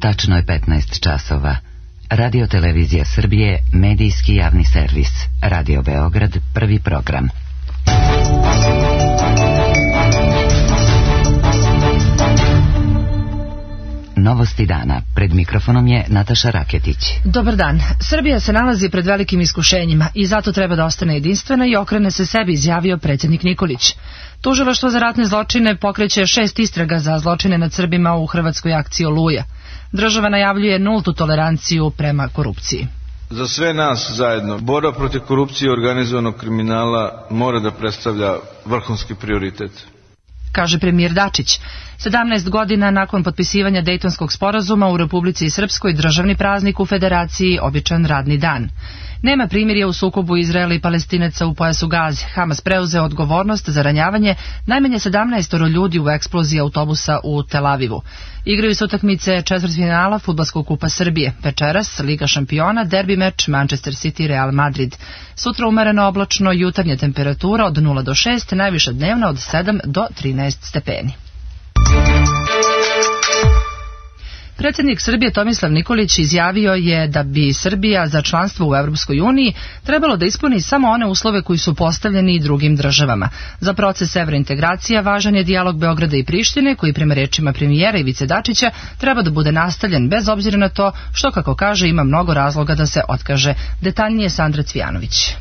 Tačno je 15 časova. Radio Televizija Srbije, medijski javni servis. Radio Beograd, prvi program. Novosti dana. Pred mikrofonom je Nataša Raketić. Dobar dan. Srbija se nalazi pred velikim iskušenjima i zato treba da ostane jedinstvena i okrene se sebi, izjavio predsjednik Nikolić. Tužilaštvo za ratne zločine pokreće 6 istraga za zločine nad Srbima u hrvatskoj akciji Oluja. Država najavljuje nultu toleranciju prema korupciji. Za sve nas zajedno, borba protiv korupcije i organizovanog kriminala mora da predstavlja vrhunski prioritet, kaže premijer Dačić. 17 godina nakon potpisivanja Dejtonskog sporazuma u Republici Srpskoj državni praznik u Federaciji običan radni dan. Nema primirja u sukobu Izraela i Palestinaca u pojasu Gaze. Hamas preuzeo odgovornost za ranjavanje najmanje 17 ljudi u eksploziji autobusa u Tel Avivu. Igraju se utakmice četvrtfinala Fudbalskog kupa Srbije. Večeras Liga šampiona, derbi meč Manchester City Real Madrid. Sutra umereno oblačno, jutarnja temperatura od 0 do 6, najviša dnevna od 7 do 13 stepeni. Predsjednik Srbije Tomislav Nikolić izjavio je da bi Srbija za članstvo u Europskoj uniji trebalo da ispuni samo one uslove koji su postavljeni i drugim državama. Za proces evrointegracija važan je dijalog Beograda i Prištine, koji prema rečima premijera Ivice Dačića treba da bude nastavljen bez obzira na to što, kako kaže, ima mnogo razloga da se otkaže. Detaljnije Sandra Cvijanović.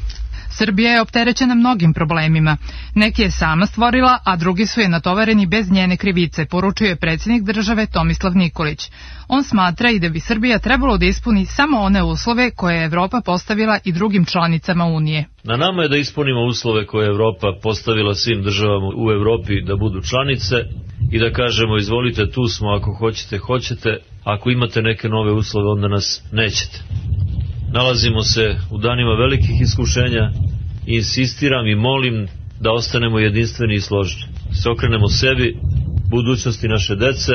Srbija je opterećena mnogim problemima. Neki je sama stvorila, a drugi su je natovareni bez njene krivice, poručuje predsjednik države Tomislav Nikolić. On smatra i da bi Srbija trebalo da ispuni samo one uslove koje je Evropa postavila i drugim članicama Unije. Na nama je da ispunimo uslove koje je Evropa postavila svim državama u Evropi da budu članice i da kažemo izvolite, tu smo, ako hoćete, ako imate neke nove uslove onda nas nećete. Nalazimo se u danima velikih iskušenja i insistiram i molim da ostanemo jedinstveni i složni. Se okrenemo sebi, budućnosti naše dece,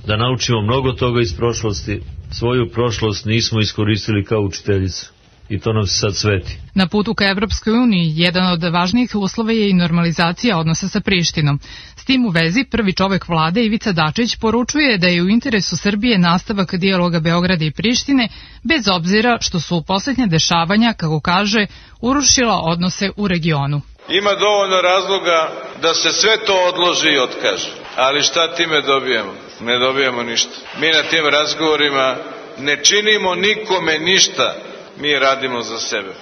da naučimo mnogo toga iz prošlosti. Svoju prošlost nismo iskoristili kao učiteljicu i to nam se sad sveti. Na putu ka Evropskoj uniji jedan od važnijih uslova je i normalizacija odnosa sa Prištinom. S tim u vezi prvi čovek vlade Ivica Dačić poručuje da je u interesu Srbije nastavak dijaloga Beograda i Prištine, bez obzira što su posljednja dešavanja, kako kaže, urušila odnose u regionu. Ima dovoljno razloga da se sve to odloži i otkaže. Ali šta time dobijemo? Ne dobijemo ništa. Mi na tim razgovorima ne činimo nikome ništa. Mi radimo za sebe.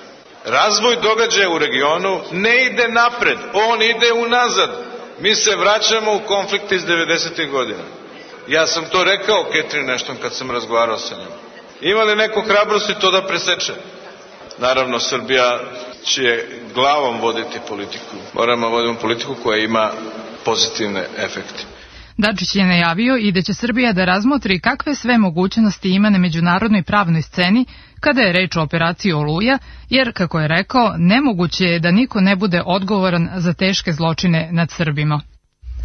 Razvoj događaja u regionu ne ide napred, on ide unazad. Mi se vraćamo u konflikt iz 90. godina. Ja sam to rekao Catherine Ashton kad sam razgovarao sa njom. Ima li neko hrabrosti to da preseče? Naravno, Srbija će glavom voditi politiku. Moramo voditi politiku koja ima pozitivne efekte. Dačić je najavio i da će Srbija da razmotri kakve sve mogućnosti ima na međunarodnoj pravnoj sceni kada je reč o operaciji Oluja, jer, kako je rekao, nemoguće je da niko ne bude odgovoran za teške zločine nad Srbima.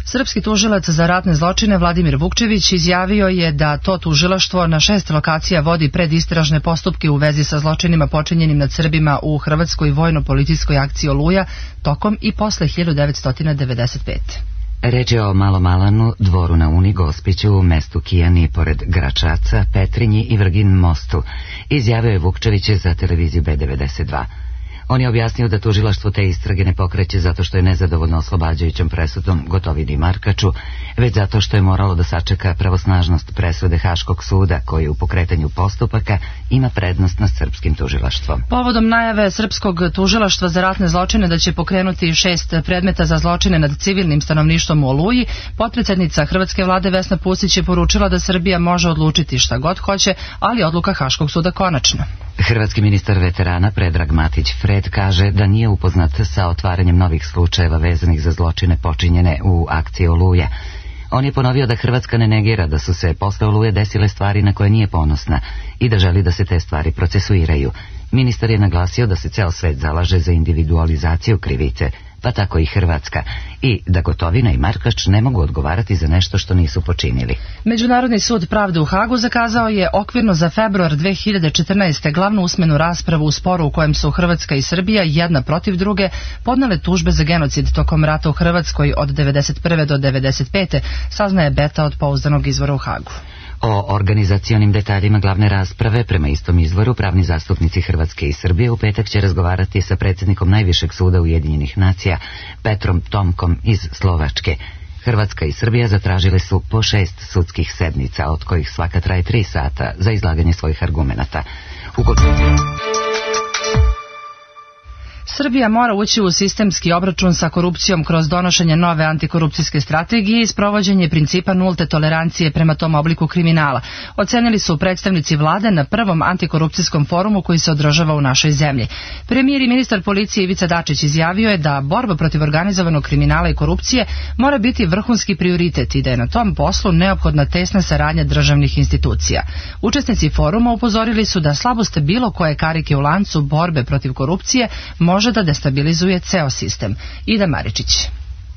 Srpski tužilac za ratne zločine Vladimir Vukčević izjavio je da to tužilaštvo na 6 lokacija vodi predistražne postupke u vezi sa zločinima počinjenim nad Srbima u hrvatskoj vojno-policijskoj akciji Oluja tokom i posle 1995. Reč je o Malom Alanu, Dvoru na Uni, Gospiću, mestu Kijani pored Gračaca, Petrinji i Vrgin mostu, izjavio je Vukčević za televiziju B92. On je objasnio da tužilaštvo te istrage ne pokreće zato što je nezadovoljno oslobađajućom presudom Gotovini i Markaču, već zato što je moralo da sačeka pravosnažnost presude Haškog suda koji u pokretanju postupaka ima prednost nad srpskim tužilaštvom. Povodom najave srpskog tužilaštva za ratne zločine da će pokrenuti 6 predmeta za zločine nad civilnim stanovništvom u Oluji, potpredsjednica hrvatske vlade Vesna Pusić je poručila da Srbija može odlučiti šta god hoće, ali odluka Haškog suda konačna. Hrvatski ministar veterana Predrag Matić Fred kaže da nije upoznat sa otvaranjem novih slučajeva vezanih za zločine počinjene u akciji Oluja. On je ponovio da Hrvatska ne negira da su se posle Oluje desile stvari na koje nije ponosna i da želi da se te stvari procesuiraju. Ministar je naglasio da se ceo svet zalaže za individualizaciju krivice, pa tako i Hrvatska, i da Gotovina i Markač ne mogu odgovarati za nešto što nisu počinili. Međunarodni sud pravde u Hagu zakazao je okvirno za februar 2014. glavnu usmenu raspravu u sporu u kojem su Hrvatska i Srbija jedna protiv druge podnele tužbe za genocid tokom rata u Hrvatskoj od 1991. do 1995. saznaje Beta od pouzdanog izvora u Hagu. O organizacionim detaljima glavne rasprave, prema istom izvoru, pravni zastupnici Hrvatske i Srbije u petak će razgovarati sa predsjednikom Najvišeg suda Ujedinjenih nacija, Petrom Tomkom iz Slovačke. Hrvatska i Srbija zatražile su po 6 sudskih sednica, od kojih svaka traje 3 sata za izlaganje svojih argumenata. Srbija mora ući u sistemski obračun sa korupcijom kroz donošenje nove antikorupcijske strategije i sprovođenje principa nulte tolerancije prema tom obliku kriminala, ocenili su predstavnici vlade na prvom antikorupcijskom forumu koji se održava u našoj zemlji. Premijer i ministar policije Ivica Dačić izjavio je da borba protiv organizovanog kriminala i korupcije mora biti vrhunski prioritet i da je na tom poslu neophodna tesna saradnja državnih institucija. Učesnici foruma upozorili su da slabost bilo koje karike u lancu borbe protiv korupcije može da destabilizuje ceo sistem. Ida Maričić.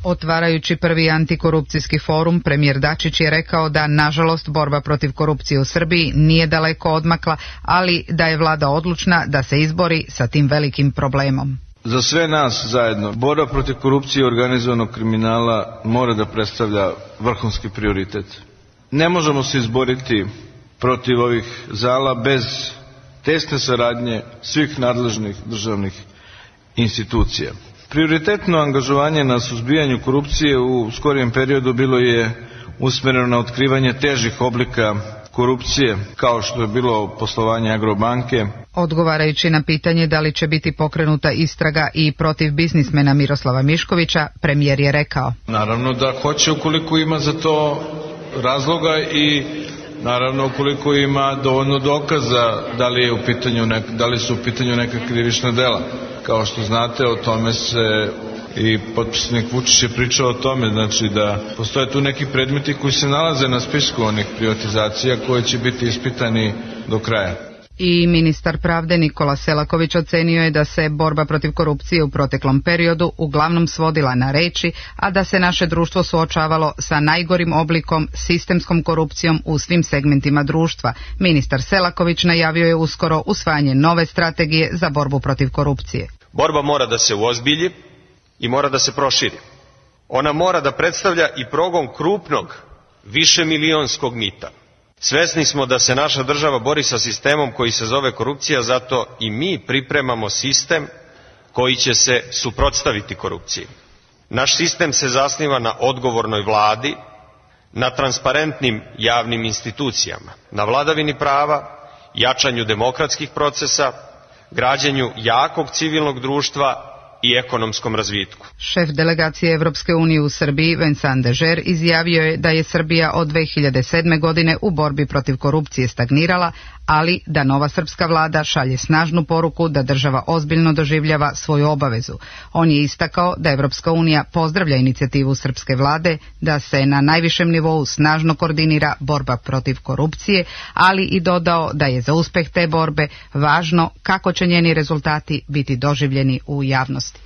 Otvarajući prvi antikorupcijski forum, premijer Dačić je rekao da, nažalost, borba protiv korupcije u Srbiji nije daleko odmakla, ali da je vlada odlučna da se izbori sa tim velikim problemom. Za sve nas zajedno, borba protiv korupcije i organizovanog kriminala mora da predstavlja vrhunski prioritet. Ne možemo se izboriti protiv ovih zala bez tesne saradnje svih nadležnih državnih institucija. Prioritetno angažovanje na suzbijanju korupcije u skorijem periodu bilo je usmjereno na otkrivanje težih oblika korupcije, kao što je bilo poslovanje Agrobanke. Odgovarajući na pitanje da li će biti pokrenuta istraga i protiv biznismena Miroslava Miškovića, premijer je rekao: Naravno da hoće, ukoliko ima za to razloga i naravno ukoliko ima dovoljno dokaza da li su u pitanju neka krivična dela. Kao što znate, o tome se i potpisnik Vučić je pričao o tome, znači da postoje tu neki predmeti koji se nalaze na spisku onih privatizacija koje će biti ispitani do kraja. I ministar pravde Nikola Selaković ocenio je da se borba protiv korupcije u proteklom periodu uglavnom svodila na reči, a da se naše društvo suočavalo sa najgorim oblikom sistemskom korupcijom u svim segmentima društva. Ministar Selaković najavio je uskoro usvajanje nove strategije za borbu protiv korupcije. Borba mora da se uozbilji i mora da se proširi. Ona mora da predstavlja i progon krupnog, višemilionskog mita. Svesni smo da se naša država bori sa sistemom koji se zove korupcija, zato i mi pripremamo sistem koji će se suprotstaviti korupciji. Naš sistem se zasniva na odgovornoj vladi, na transparentnim javnim institucijama, na vladavini prava, jačanju demokratskih procesa, građenju jakog civilnog društva i ekonomskom razvitku. Šef delegacije Evropske unije u Srbiji, Vincent Dežer, izjavio je da je Srbija od 2007. godine u borbi protiv korupcije stagnirala, ali da nova srpska vlada šalje snažnu poruku da država ozbiljno doživljava svoju obavezu. On je istakao da Evropska unija pozdravlja inicijativu srpske vlade da se na najvišem nivou snažno koordinira borba protiv korupcije, ali i dodao da je za uspeh te borbe važno kako će njeni rezultati biti doživljeni u javnosti.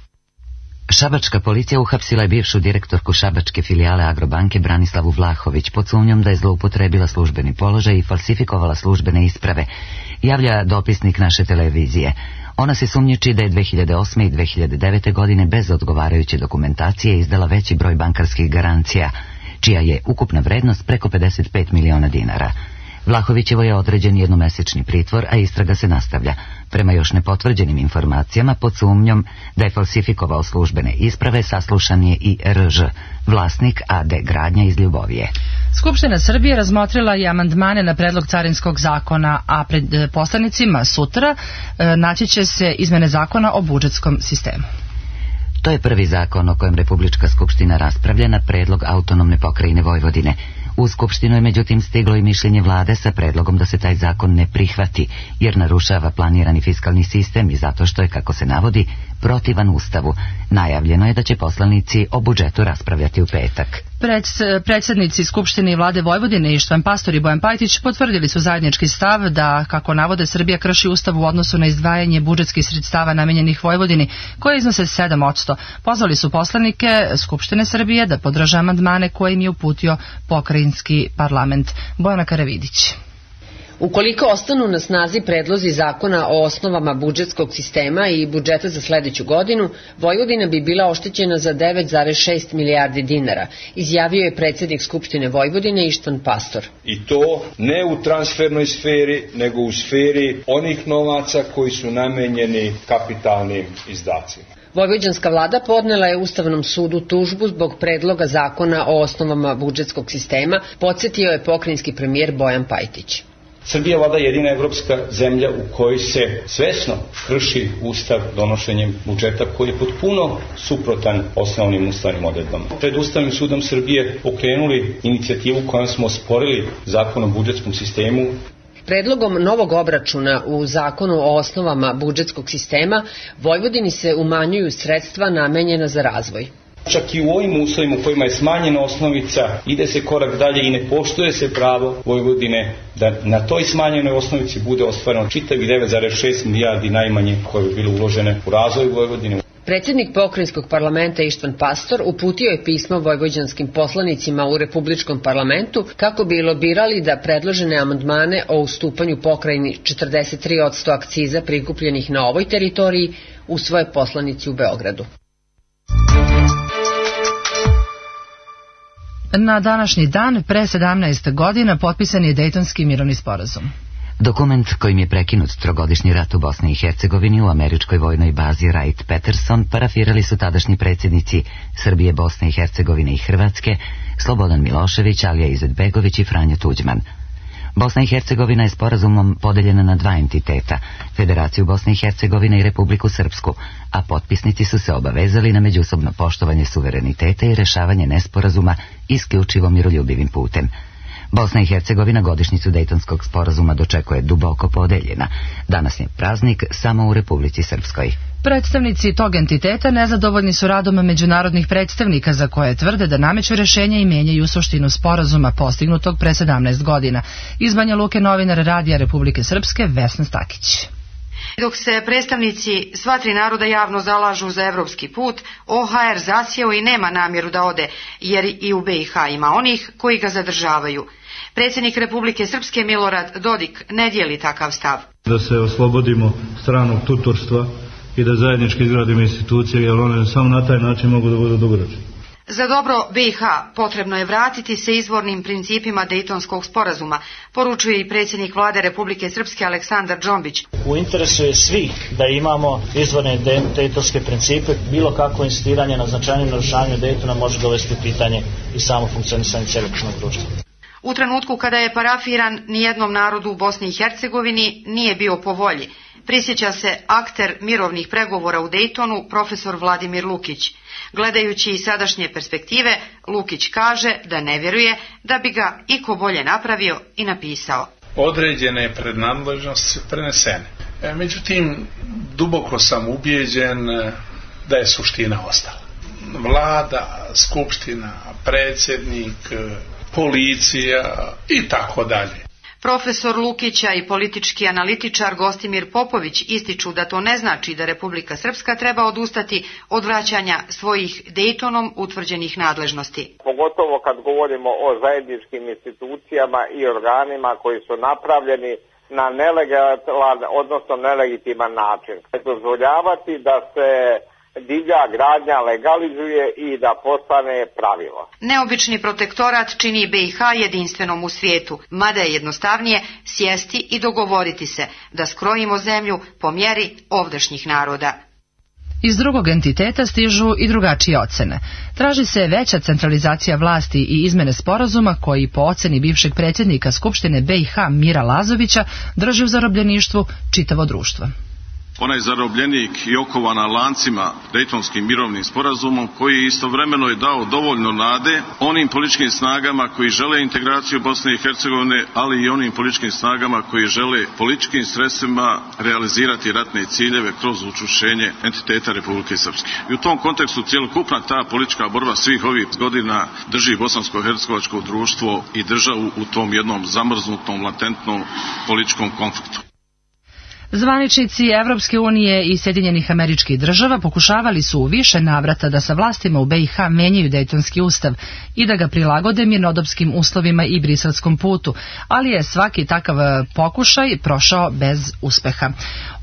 Šabačka policija uhapsila je bivšu direktorku šabačke filijale Agrobanke Branislavu Vlahović pod sumnjom da je zloupotrebila službeni položaj i falsifikovala službene isprave, javlja dopisnik naše televizije. Ona se sumnjiči da je 2008. i 2009. godine bez odgovarajuće dokumentacije izdala veći broj bankarskih garancija, čija je ukupna vrednost preko 55 miliona dinara. Vlahovićevo je određen jednomesečni pritvor, a istraga se nastavlja. Prema još nepotvrđenim informacijama, pod sumnjom da je falsifikovao službene isprave, saslušan je i RŽ, vlasnik AD Gradnja iz Ljubovije. Skupština Srbije razmotrila je amandmane na predlog carinskog zakona, a pred poslanicima sutra naći će se izmene zakona o budžetskom sistemu. To je prvi zakon o kojem Republička skupština raspravlja na predlog autonomne pokrajine Vojvodine. U Skupštinu je međutim stiglo i mišljenje vlade sa predlogom da se taj zakon ne prihvati, jer narušava planirani fiskalni sistem i zato što je, kako se navodi, protivan Ustavu. Najavljeno je da će poslanici o budžetu raspravljati u petak. Predsjednici Skupštine i vlade Vojvodine Ištvan Pastor i Bojan Pajtić potvrdili su zajednički stav da, kako navode, Srbija krši Ustav u odnosu na izdvajanje budžetskih sredstava namenjenih Vojvodini, koje iznose 7%. Pozvali su poslanike Skupštine Srbije da podrže amandmane koje im je uputio pokrajinski parlament. Bojana Karavidić. Ukoliko ostanu na snazi predlozi zakona o osnovama budžetskog sistema i budžeta za sledeću godinu, Vojvodina bi bila oštećena za 9,6 milijardi dinara, izjavio je predsjednik Skupštine Vojvodine Ištvan Pastor. I to ne u transfernoj sferi, nego u sferi onih novaca koji su namenjeni kapitalnim izdacima. Vojvođanska vlada podnela je Ustavnom sudu tužbu zbog predloga zakona o osnovama budžetskog sistema, podsjetio je pokrajinski premijer Bojan Pajtić. Srbija vlada jedina evropska zemlja u kojoj se svesno krši Ustav donošenjem budžeta koji je potpuno suprotan osnovnim ustavnim odredbama. Pred Ustavnim sudom Srbije pokrenuli inicijativu kojom smo osporili zakon o budžetskom sistemu. Predlogom novog obračuna u zakonu o osnovama budžetskog sistema Vojvodini se umanjuju sredstva namenjena za razvoj. Čak i u ovim uslovima u kojima je smanjena osnovica, ide se korak dalje i ne poštuje se pravo Vojvodine da na toj smanjenoj osnovici bude ostvareno čitavih 9,6 milijardi najmanje koje bi bilo uložene u razvoj Vojvodine. Predsjednik pokrajinskog parlamenta Ištvan Pastor uputio je pismo vojvođanskim poslanicima u Republičkom parlamentu kako bi lobirali da predložene amandmane o ustupanju pokrajini 43% akciza prikupljenih na ovoj teritoriji usvoje poslanici u Beogradu. Na današnji dan, pre 17 godina, potpisan je Dejtonski mirovni sporazum. Dokument kojim je prekinut trogodišnji rat u Bosni i Hercegovini u američkoj vojnoj bazi Wright-Patterson parafirali su tadašnji predsjednici Srbije, Bosne i Hercegovine i Hrvatske, Slobodan Milošević, Alija Izetbegović i Franjo Tuđman. Bosna i Hercegovina je sporazumom podeljena na dva entiteta, Federaciju Bosne i Hercegovine i Republiku Srpsku, a potpisnici su se obavezali na međusobno poštovanje suvereniteta i rešavanje nesporazuma isključivo miroljubivim putem. Bosna i Hercegovina godišnjicu Dejtonskog sporazuma dočekuje duboko podeljena. Danas je praznik samo u Republici Srpskoj. Predstavnici tog entiteta nezadovoljni su radom međunarodnih predstavnika za koje tvrde da nameću rešenja i menjaju suštinu sporazuma postignutog pre 17 godina. Iz Banja Luke novinar Radija Republike Srpske Vesna Stakić. Dok se predstavnici sva tri naroda javno zalažu za evropski put, OHR zasjeo i nema namjeru da ode, jer i u BiH ima onih koji ga zadržavaju. Predsjednik Republike Srpske Milorad Dodik ne dijeli takav stav. Da se oslobodimo stranog tutorstva i da zajednički izgradimo institucije, jer one samo na taj način mogu da budu dugoročne. Za dobro BiH potrebno je vratiti se izvornim principima Dejtonskog sporazuma, poručuje i predsjednik vlade Republike Srpske Aleksandar Džombić. U interesu je svih da imamo izvorne dejtonske principe, bilo kakvo insistiranje na značajnom narušavanju Dejtona može dovesti u pitanje i samo funkcionisanje cjelokupnog društva. U trenutku kada je parafiran, nijednom narodu u Bosni i Hercegovini nije bio po volji. Prisjeća se akter mirovnih pregovora u Dejtonu, profesor Vladimir Lukić. Gledajući iz sadašnje perspektive, Lukić kaže da ne vjeruje da bi ga iko bolje napravio i napisao. Određene prednadležnosti su prenesene. Međutim, duboko sam ubijeđen da je suština ostala. Vlada, skupština, predsjednik, policija i tako dalje. Profesor Lukića i politički analitičar Gostimir Popović ističu da to ne znači da Republika Srpska treba odustati od vraćanja svojih Dejtonom utvrđenih nadležnosti. Pogotovo kad govorimo o zajedničkim institucijama i organima koji su napravljeni na nelegalan, odnosno nelegitiman način. Dozvoljavati da se divlja gradnja legalizuje i da postane pravilo. Neobični protektorat čini BiH jedinstvenom u svijetu, mada je jednostavnije sjesti i dogovoriti se da skrojimo zemlju po mjeri ovdašnjih naroda. Iz drugog entiteta stižu i drugačije ocene. Traži se veća centralizacija vlasti i izmene sporazuma koji po oceni bivšeg predsjednika Skupštine BiH Mira Lazovića drži u zarobljeništvu čitavo društvo. onaj zarobljenik i okovana lancima Dejtonskim mirovnim sporazumom, koji istovremeno je dao dovoljno nade onim političkim snagama koji žele integraciju Bosne i Hercegovine, ali i onim političkim snagama koji žele političkim sredstvima realizirati ratne ciljeve kroz učvršćenje entiteta Republike Srpske. I u tom kontekstu cjelokupna ta politička borba svih ovih godina drži bosansko-hercegovačko društvo i državu u tom jednom zamrznutom, latentnom političkom konfliktu. Zvaničnici Evropske unije i Sjedinjenih Američkih Država pokušavali su u više navrata da sa vlastima u BiH menjaju Dejtonski ustav i da ga prilagode mirnodopskim uslovima i briselskom putu, ali je svaki takav pokušaj prošao bez uspeha.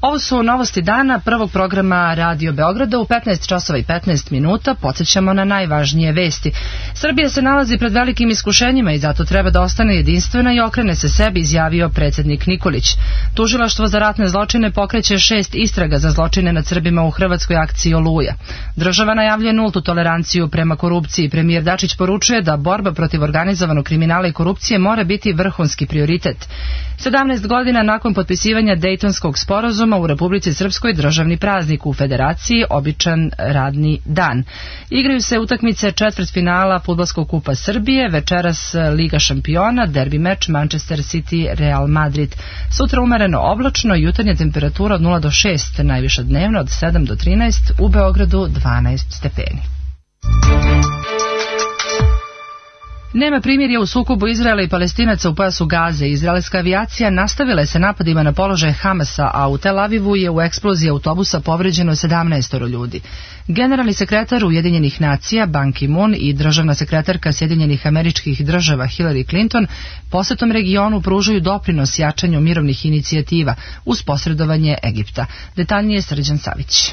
Ovo su novosti dana prvog programa Radio Beograda u 15 časova i 15 minuta. Podsjećamo na najvažnije vesti. Srbija se nalazi pred velikim iskušenjima i zato treba da ostane jedinstvena i okrene se sebi, izjavio predsjednik Nikolić. Tužilaštvo za ratne zločine pokreće 6 istraga za zločine nad Srbima u hrvatskoj akciji Oluja. Država najavljuje nultu toleranciju prema korupciji. Premijer Dačić poručuje da borba protiv organizovanog kriminala i korupcije mora biti vrhunski prioritet. 17 godina nakon potpisivanja Dejtonskog sporazuma u Republici Srpskoj državni praznik, u Federaciji običan radni dan. Igraju se utakmice četvrtfinala Fudbalskog kupa Srbije, večeras Liga šampiona, derbi meč Manchester City Real Madrid. Sutra umereno oblačno, jutarnja temperatura od 0 do 6, najviša dnevna od 7 do 13, u Beogradu 12 stepeni. Nema primirja u sukobu Izraela i Palestinaca u pojasu Gaze. Izraelska avijacija nastavila je sa napadima na položaje Hamasa, a u Tel Avivu je u eksploziji autobusa povređeno 17 ljudi. Generalni sekretar Ujedinjenih nacija Ban Ki-moon i državna sekretarka Sjedinjenih Američkih Država Hillary Clinton posetom regionu pružaju doprinos jačanju mirovnih inicijativa uz posredovanje Egipta. Detaljnije Srđan Savić.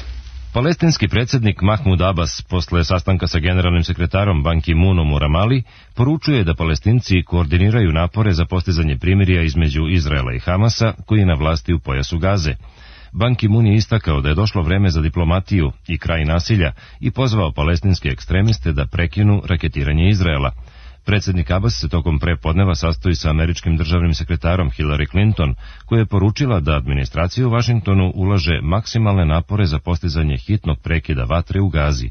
Palestinski predsjednik Mahmud Abbas posle sastanka sa generalnim sekretarom Ban Ki-moonom u Ramali poručuje da Palestinci koordiniraju napore za postizanje primirja između Izraela i Hamasa koji je na vlasti u pojasu Gaze. Ban Ki-moon je istakao da je došlo vreme za diplomatiju i kraj nasilja i pozvao palestinske ekstremiste da prekinu raketiranje Izraela. Predsjednik Abbas se tokom prepodneva sastoji sa američkim državnim sekretarom Hillary Clinton, koja je poručila da administracija u Vašingtonu ulaže maksimalne napore za postizanje hitnog prekida vatre u Gazi.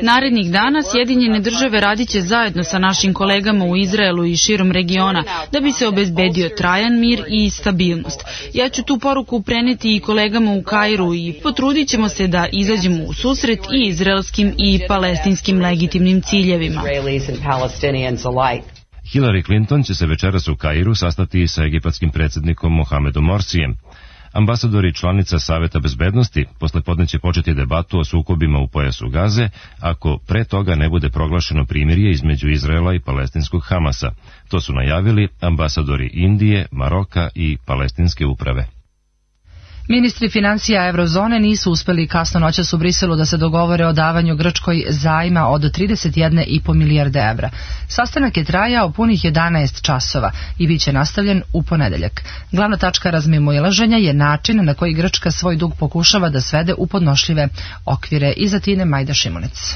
Narednih dana Sjedinjene države radiće zajedno sa našim kolegama u Izraelu i širom regiona da bi se obezbedio trajan mir i stabilnost. Ja ću tu poruku preneti i kolegama u Kairu i potrudit ćemo se da izađemo u susret i izraelskim i palestinskim legitimnim ciljevima. Hillary Clinton će se večeras u Kairu sastati sa egipatskim predsjednikom Mohamedom Morsijem. Ambasadori članica Saveta bezbednosti poslepodne će početi debatu o sukobima u pojasu Gaze ako pre toga ne bude proglašeno primirje između Izraela i palestinskog Hamasa. To su najavili ambasadori Indije, Maroka i palestinske uprave. Ministri financija Eurozone nisu uspeli kasno noćas u Briselu da se dogovore o davanju Grčkoj zajma od 31,5 milijarde evra. Sastanak je trajao punih 11 časova i bit će nastavljen u ponedeljak. Glavna tačka razmimoilaženja je način na koji Grčka svoj dug pokušava da svede u podnošljive okvire. Iz Atine Majda Šimunec.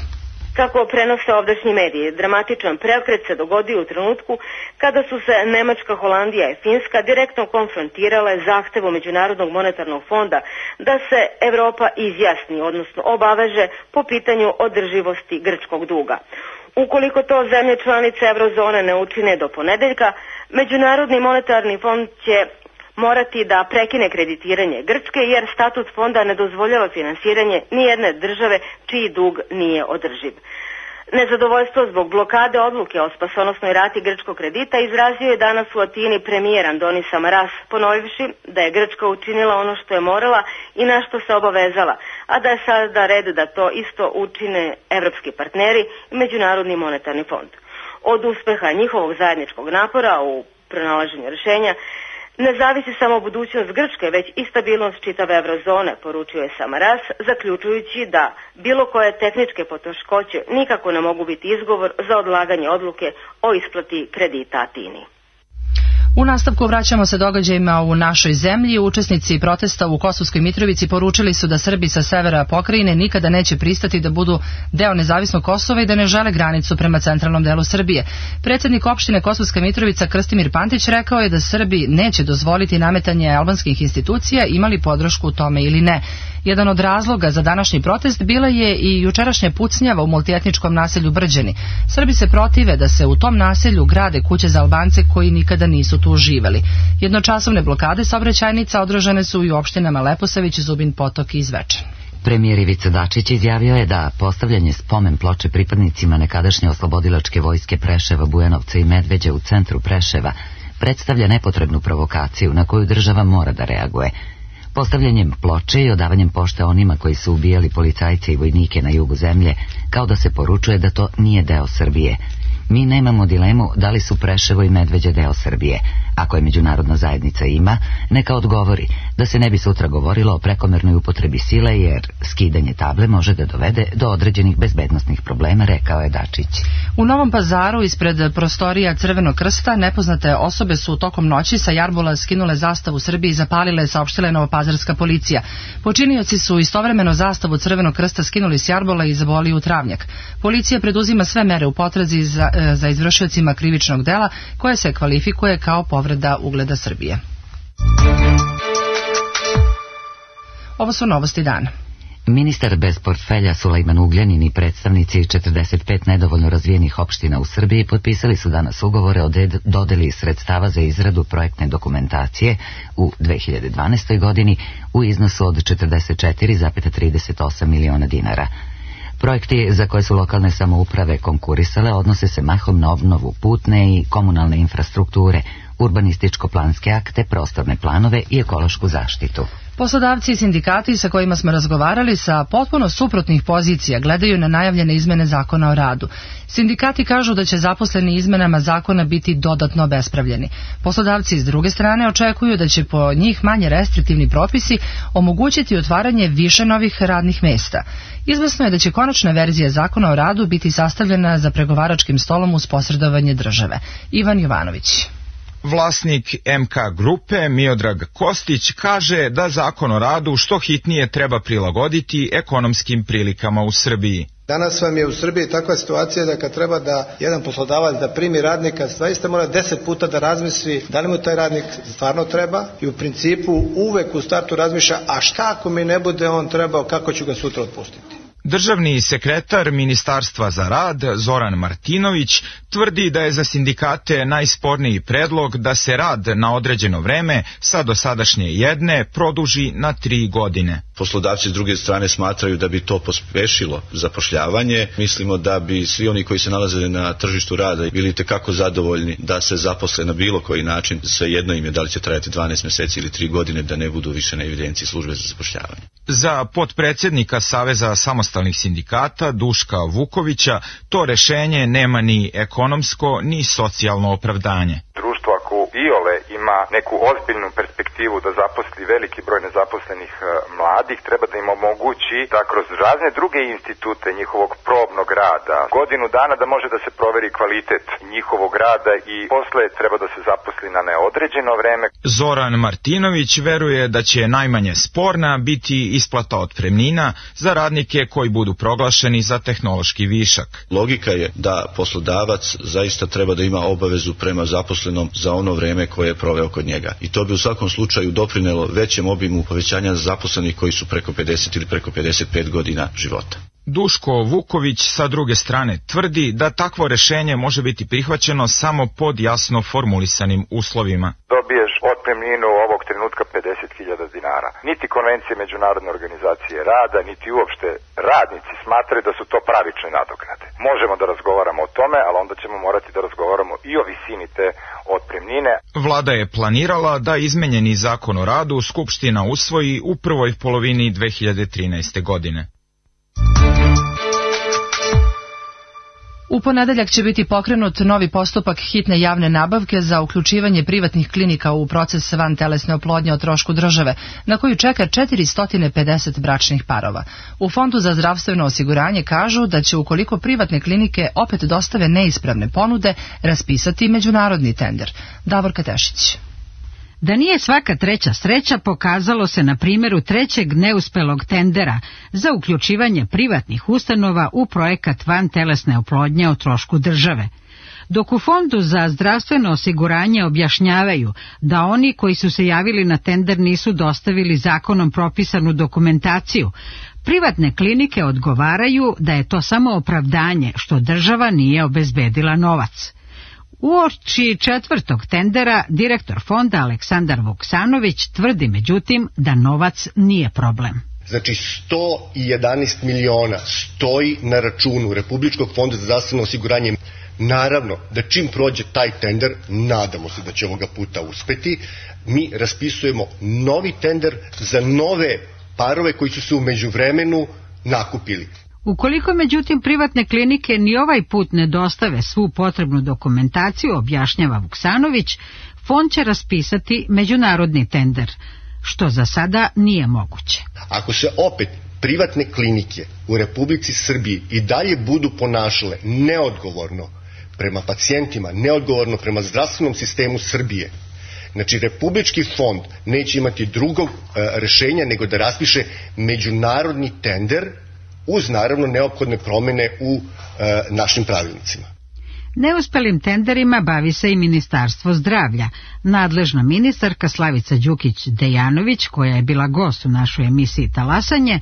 Kako prenose ovdašnji mediji, dramatičan preokret se dogodio u trenutku kada su se Nemačka, Holandija i Finska direktno konfrontirale zahtevom Međunarodnog monetarnog fonda da se Evropa izjasni, odnosno obaveže po pitanju održivosti grčkog duga. Ukoliko to zemlje članice Eurozone ne učine do ponedeljka, Međunarodni monetarni fond će morati da prekine kreditiranje Grčke jer statut fonda ne dozvoljava finansiranje nijedne države čiji dug nije održiv. Nezadovoljstvo zbog blokade odluke o spasonosnoj rati grčkog kredita izrazio je danas u Atini premijer Andonis Samaras, ponovivši da je Grčka učinila ono što je morala i na što se obavezala, a da je sada red da to isto učine evropski partneri i Međunarodni monetarni fond. Od uspeha njihovog zajedničkog napora u pronalaženju rješenja ne zavisi samo budućnost Grčke, već i stabilnost čitave eurozone, poručio je Samaras, zaključujući da bilo koje tehničke poteškoće nikako ne mogu biti izgovor za odlaganje odluke o isplati kredita Atini. U nastavku vraćamo se događajima u našoj zemlji. Učesnici protesta u Kosovskoj Mitrovici poručili su da Srbi sa severa pokrajine nikada neće pristati da budu deo nezavisnog Kosova i da ne žele granicu prema centralnom delu Srbije. Predsjednik opštine Kosovska Mitrovica Krstimir Pantić rekao je da Srbi neće dozvoliti nametanje albanskih institucija, imali podršku u tome ili ne. Jedan od razloga za današnji protest bila je i jučerašnja pucnjava u multietničkom naselju Brđani. Srbi se protive da se u tom naselju grade kuće za Albance koji nikada nisu tu živeli. Jednočasovne blokade saobraćajnica održane su i u opštinama Leposavić, Zubin Potok i Zvečan. Premijer Ivica Dačić izjavio je da postavljanje spomen ploče pripadnicima nekadašnje oslobodilačke vojske Preševa, Bujanovca i Medveđa u centru Preševa predstavlja nepotrebnu provokaciju na koju država mora da reaguje. Postavljanjem ploče i odavanjem pošte onima koji su ubijali policajce i vojnike na jugu zemlje, kao da se poručuje da to nije deo Srbije. Mi nemamo dilemu da li su Preševo i Medveđa deo Srbije. Ako je međunarodna zajednica ima, neka odgovori, da se ne bi sutra govorilo o prekomernoj upotrebi sile, jer skidanje table može da dovede do određenih bezbednosnih problema, rekao je Dačić. U Novom Pazaru, ispred prostorija Crvenog krsta, nepoznate osobe su tokom noći sa jarbola skinule zastavu Srbije i zapalile, saopštila je novopazarska policija. Počinioci su istovremeno zastavu Crvenog krsta skinuli s jarbola i zaboli u travnjak. Policija preduzima sve mere u potrazi za izvršiocima krivičnog dela, koje se kvalifikuje kao povreda ugleda Srbije. Ovo su novosti dana. Ministar bez portfelja Sulejman Ugljanin i predstavnici 45 nedovoljno razvijenih opština u Srbiji potpisali su danas ugovore o dodeli sredstava za izradu projektne dokumentacije u 2012. godini u iznosu od 44,38 miliona dinara. Projekti za koje su lokalne samouprave konkurisale odnose se mahom na obnovu putne i komunalne infrastrukture, urbanističko-planske akte, prostorne planove i ekološku zaštitu. Poslodavci i sindikati sa kojima smo razgovarali sa potpuno suprotnih pozicija gledaju na najavljene izmene zakona o radu. Sindikati kažu da će zaposleni izmenama zakona biti dodatno obespravljeni. Poslodavci s druge strane očekuju da će po njih manje restriktivni propisi omogućiti otvaranje više novih radnih mesta. Izvesno je da će konačna verzija zakona o radu biti sastavljena za pregovaračkim stolom uz posredovanje države. Ivan Jovanović. Vlasnik MK grupe Miodrag Kostić kaže da zakon o radu što hitnije treba prilagoditi ekonomskim prilikama u Srbiji. Danas vam je u Srbiji takva situacija da kad treba da jedan poslodavac da primi radnika, zaista mora 10 puta da razmisli da li mu taj radnik stvarno treba i u principu uvek u startu razmišlja, a šta ako mi ne bude on trebao, kako ću ga sutra otpustiti. Državni sekretar Ministarstva za rad Zoran Martinović tvrdi da je za sindikate najsporniji predlog da se rad na određeno vreme sa dosadašnje 1 produži na 3 godine. Poslodavci s druge strane smatraju da bi to pospešilo zapošljavanje. Mislimo da bi svi oni koji se nalaze na tržištu rada bili tekako zadovoljni da se zaposle na bilo koji način. Svejedno im je da li će trajati 12 meseci ili 3 godine, da ne budu više na evidenciji službe za zapošljavanje. Za potpredsjednika Saveza samostalnih sindikata Duška Vukovića to rešenje nema ni ekonomsko ni socijalno opravdanje. Društvo ako iole ima neku ozbiljnu perspektivu da zaposli veliki broj nezaposlenih mladih, treba da im omogući da kroz razne druge institute njihovog probnog rada godinu dana da može da se proveri kvalitet njihovog rada i posle treba da se zaposli na neodređeno vreme. Zoran Martinović veruje da će najmanje sporna biti isplata otpremnina za radnike koji budu proglašeni za tehnološki višak. Logika je da poslodavac zaista treba da ima obavezu prema zaposlenom za ono vreme koje je proveo kod njega. I to bi u svakom slučaju doprinelo većem obimu povećanja zaposlenih koji su preko 50 ili preko 55 godina života. Duško Vuković sa druge strane tvrdi da takvo rešenje može biti prihvaćeno samo pod jasno formulisanim uslovima. Dobiješ otpremninu ovog trenutka 50.000 dinara. Niti konvencije Međunarodne organizacije rada, niti uopšte radnici smatraju da su to pravične nadoknade. Možemo da razgovaramo o tome, ali onda ćemo morati da razgovaramo i o visini te otpremnine. Vlada je planirala da izmenjeni zakon o radu Skupština usvoji u prvoj polovini 2013. godine. U ponedeljak će biti pokrenut novi postupak hitne javne nabavke za uključivanje privatnih klinika u proces vantelesne oplodnje o trošku države, na koju čeka 450 bračnih parova. U Fondu za zdravstveno osiguranje kažu da će, ukoliko privatne klinike opet dostave neispravne ponude, raspisati međunarodni tender. Davorka Tešić. Da nije svaka treća sreća pokazalo se na primjeru trećeg neuspelog tendera za uključivanje privatnih ustanova u projekat vantelesne oplodnje o trošku države. Dok u Fondu za zdravstveno osiguranje objašnjavaju da oni koji su se javili na tender nisu dostavili zakonom propisanu dokumentaciju, privatne klinike odgovaraju da je to samo opravdanje što država nije obezbedila novac. Uoči četvrtog tendera direktor fonda Aleksandar Vuksanović tvrdi međutim da novac nije problem. Znači 111 miliona stoji na računu Republičkog fonda za zdravstveno osiguranje. Naravno da čim prođe taj tender, nadamo se da će ovoga puta uspeti, mi raspisujemo novi tender za nove parove koji su se u međuvremenu nakupili. Ukoliko međutim privatne klinike ni ovaj put ne dostave svu potrebnu dokumentaciju, objašnjava Vuksanović, fond će raspisati međunarodni tender, što za sada nije moguće. Ako se opet privatne klinike u Republici Srbiji i dalje budu ponašale neodgovorno prema pacijentima, neodgovorno prema zdravstvenom sistemu Srbije, znači Republički fond neće imati drugog rešenja nego da raspiše međunarodni tender uz naravno neophodne promjene u našim pravilnicima. Neuspelim tenderima bavi se i Ministarstvo zdravlja. Nadležna ministarka Slavica Đukić-Dejanović, koja je bila gost u našoj emisiji Talasanje,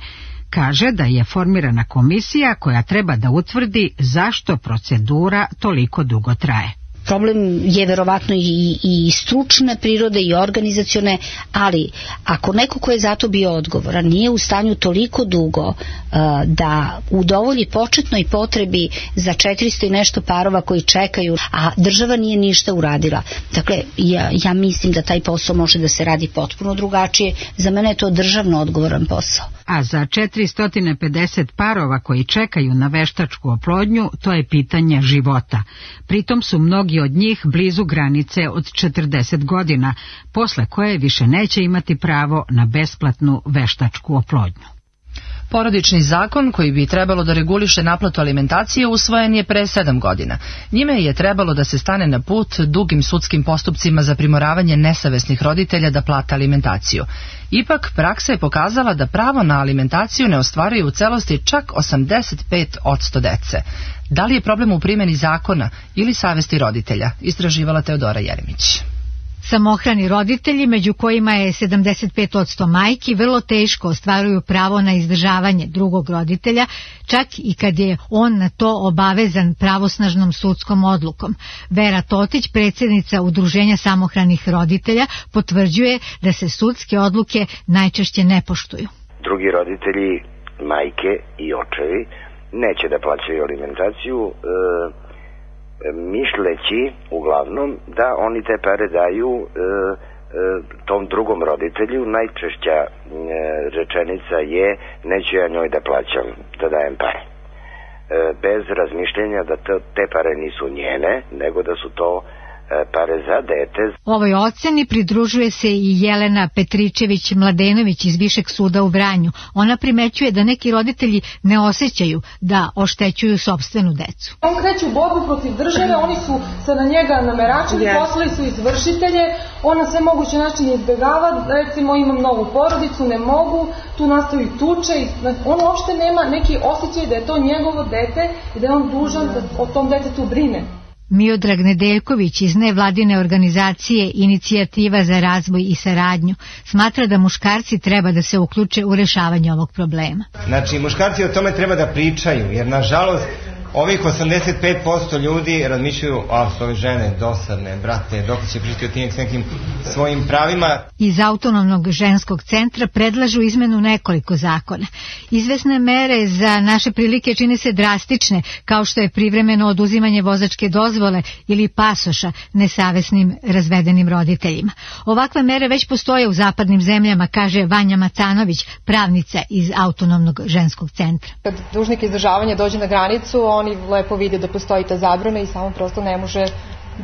kaže da je formirana komisija koja treba da utvrdi zašto procedura toliko dugo traje. Problem je verovatno i stručne prirode i organizacione, ali ako neko ko je zato bio odgovoran nije u stanju toliko dugo da udovolji početnoj potrebi za 400 i nešto parova koji čekaju, a država nije ništa uradila. Dakle, ja mislim da taj posao može da se radi potpuno drugačije. Za mene je to državno odgovoran posao. A za 450 parova koji čekaju na veštačku oplodnju, to je pitanje života. Pritom su mnogi od njih blizu granice od 40 godina, posle koje više neće imati pravo na besplatnu veštačku oplodnju. Porodični zakon koji bi trebalo da reguliše naplatu alimentacije usvojen je pre 7 godina. Njime je trebalo da se stane na put dugim sudskim postupcima za primoravanje nesavesnih roditelja da plate alimentaciju. Ipak, praksa je pokazala da pravo na alimentaciju ne ostvaruju u celosti čak 85% dece. Da li je problem u primjeni zakona ili savesti roditelja? Istraživala Teodora Jeremić. Samohrani roditelji, među kojima je 75% majki, vrlo teško ostvaruju pravo na izdržavanje drugog roditelja, čak i kad je on na to obavezan pravosnažnom sudskom odlukom. Vera Totić, predsjednica Udruženja samohranih roditelja, potvrđuje da se sudske odluke najčešće ne poštuju. Drugi roditelji, majke i očevi, neće da plaćaju alimentaciju, misleći uglavnom da oni te pare daju tom drugom roditelju. Najčešća rečenica je neću ja njoj da plaćam, da dajem pare. Bez razmišljenja da te pare nisu njene, nego da su to pare za dete. Ovoj oceni pridružuje se i Jelena Petričević-Mladenović iz Višeg suda u Vranju. Ona primećuje da neki roditelji ne osjećaju da oštećuju sopstvenu decu. On kreće u borbu protiv države, oni su se na njega nameračili, poslali su izvršitelje, on na sve moguće načine izbjegava, recimo imam novu porodicu, ne mogu, tu nastaju tuče, on uopšte nema neki osjećaj da je to njegovo dete i da je on dužan da o tom detetu brine. Miodrag Nedeljković iz nevladine organizacije Inicijativa za razvoj i saradnju smatra da muškarci treba da se uključe u rešavanje ovog problema. Znači, muškarci o tome treba da pričaju, jer nažalost ovih 85% ljudi razmišljaju, ove žene dosadne, brate, dok će pričati o tim nekim svojim pravima. Iz Autonomnog ženskog centra predlažu izmenu nekoliko zakona. Izvesne mere za naše prilike čine se drastične, kao što je privremeno oduzimanje vozačke dozvole ili pasoša nesavesnim razvedenim roditeljima. Ovakve mere već postoje u zapadnim zemljama, kaže Vanja Macanović, pravnica iz Autonomnog ženskog centra. Kad dužnik izdržavanja dođe na granicu, oni lepo vide da postoji ta zabrana i samo prosto ne može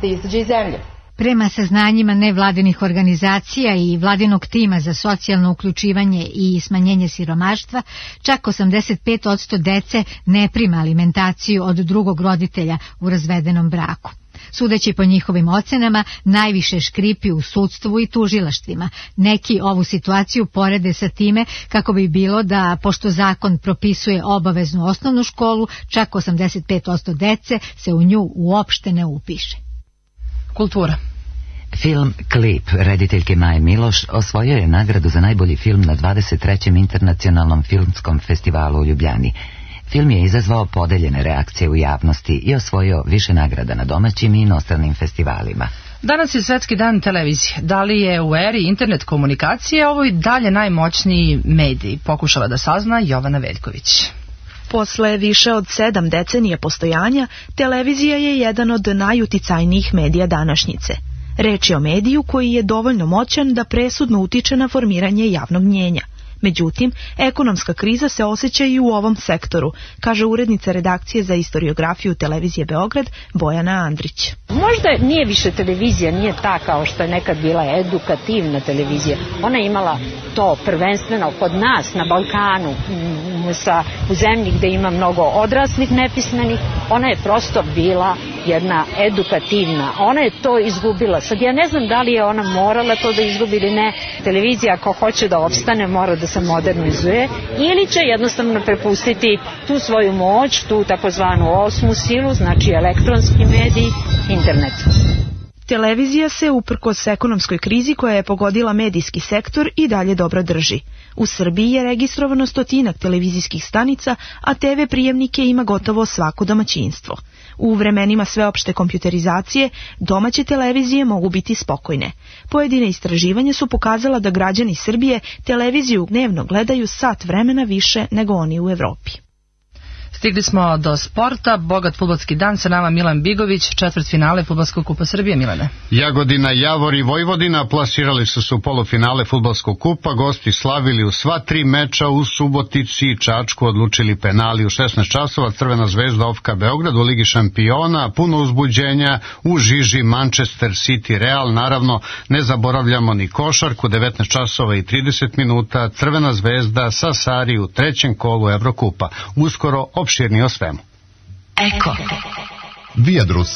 da izađe iz zemlje. Prema saznanjima nevladinih organizacija i vladinog tima za socijalno uključivanje i smanjenje siromaštva, čak 85% dece ne prima alimentaciju od drugog roditelja u razvedenom braku. Sudeći po njihovim ocenama, najviše škripi u sudstvu i tužilaštvima. Neki ovu situaciju porede sa time kako bi bilo da, pošto zakon propisuje obaveznu osnovnu školu, čak 85% dece se u nju uopšte ne upiše. Kultura. Film Klip rediteljke Maje Miloš osvojio je nagradu za najbolji film na 23. internacionalnom filmskom festivalu u Ljubljani. Film je izazvao podeljene reakcije u javnosti i osvojio više nagrada na domaćim i inostranim festivalima. Danas je Svetski dan televizije. Da li je u eri internet komunikacije ovo i dalje najmoćniji medij? Pokušala da sazna Jovana Veljković. Posle više od 7 decenija postojanja, televizija je jedan od najuticajnijih medija današnjice. Reč je o mediju koji je dovoljno moćan da presudno utiče na formiranje javnog mnjenja. Međutim, ekonomska kriza se osjeća i u ovom sektoru, kaže urednica redakcije za istoriografiju televizije Beograd Bojana Andrić. Možda nije više televizija, nije ta kao što je nekad bila edukativna televizija. Ona je imala to prvenstveno kod nas na Balkanu, u zemlji gde ima mnogo odraslih nepismenih, ona je prosto bila jedna edukativna. Ona je to izgubila. Sad ja ne znam da li je ona morala to da izgubi ili ne. Televizija ako hoće da opstane mora da se modernizuje ili će jednostavno prepustiti tu svoju moć, tu takozvanu osmu silu, znači elektronski medij, internet. Televizija se uprkos ekonomskoj krizi koja je pogodila medijski sektor i dalje dobro drži. U Srbiji je registrovano 100 televizijskih stanica, a TV prijemnike ima gotovo svako domaćinstvo. U vremenima sveopšte kompjuterizacije domaće televizije mogu biti spokojne. Pojedine istraživanja su pokazala da građani Srbije televiziju dnevno gledaju sat vremena više nego oni u Evropi. Stigli smo do sporta, bogat fudbalski dan, sa nama Milan Bigović, četvrtfinale Fudbalskog kupa Srbije. Milane. Jagodina, Javor i Vojvodina plasirali su se u polufinale Fudbalskog kupa, gosti slavili u sva 3 meča, u Subotici i Čačku odlučili penali u 16 časova, Crvena zvezda Ofka Beograd u Ligi šampiona, puno uzbuđenja u žiži Manchester City Real, naravno ne zaboravljamo ni košarku, 19 časova i 30 minuta, Crvena zvezda sa Sari u 3. kolu Evrokupa. Uskoro opširni o svemu. Eko. Viadrus.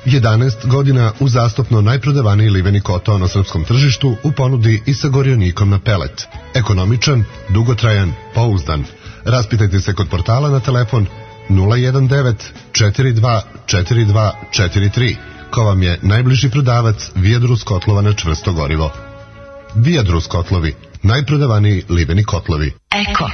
11 godina uzastopno najprodavaniji liveni koto na srpskom tržištu u ponudi i sa gorjonikom na pelet. Ekonomičan, dugotrajan, pouzdan. Raspitajte se kod portala na telefon 019 42 42 43. Ko vam je najbliži prodavac Viadrus kotlova na čvrsto gorivo. Viadrus kotlovi. Najprodavaniji liveni kotlovi. Eko.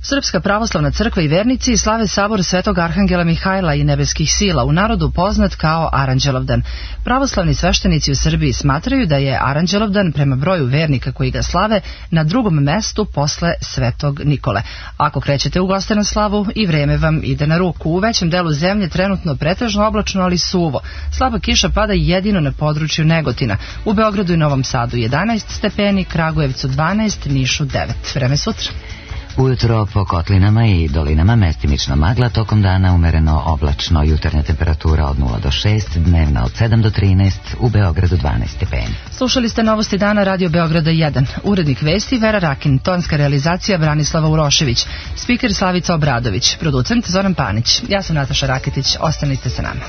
Srpska pravoslavna crkva i vernici slave sabor Svetog Arhangela Mihajla i nebeskih sila, u narodu poznat kao Aranđelovdan. Pravoslavni sveštenici u Srbiji smatraju da je Aranđelovdan prema broju vernika koji ga slave na drugom mestu posle Svetog Nikole. Ako krećete u gostenu slavu i vreme vam ide na ruku. U većem delu zemlje trenutno pretežno oblačno, ali suvo. Slaba kiša pada jedino na području Negotina. U Beogradu i Novom Sadu 11 stepeni, Kragujevcu 12, Nišu 9. Vreme sutra. Ujutro po kotlinama i dolinama mestimično magla, tokom dana umereno oblačno, jutarnja temperatura od 0 do 6, dnevna od 7 do 13, u Beogradu 12 stepeni. Slušali ste novosti dana Radio Beograda 1. Urednik vesti Vera Rakin, tonska realizacija Branislava Urošević, spiker Slavica Obradović, producent Zoran Panić. Ja sam Nataša Raketić, ostanite sa nama.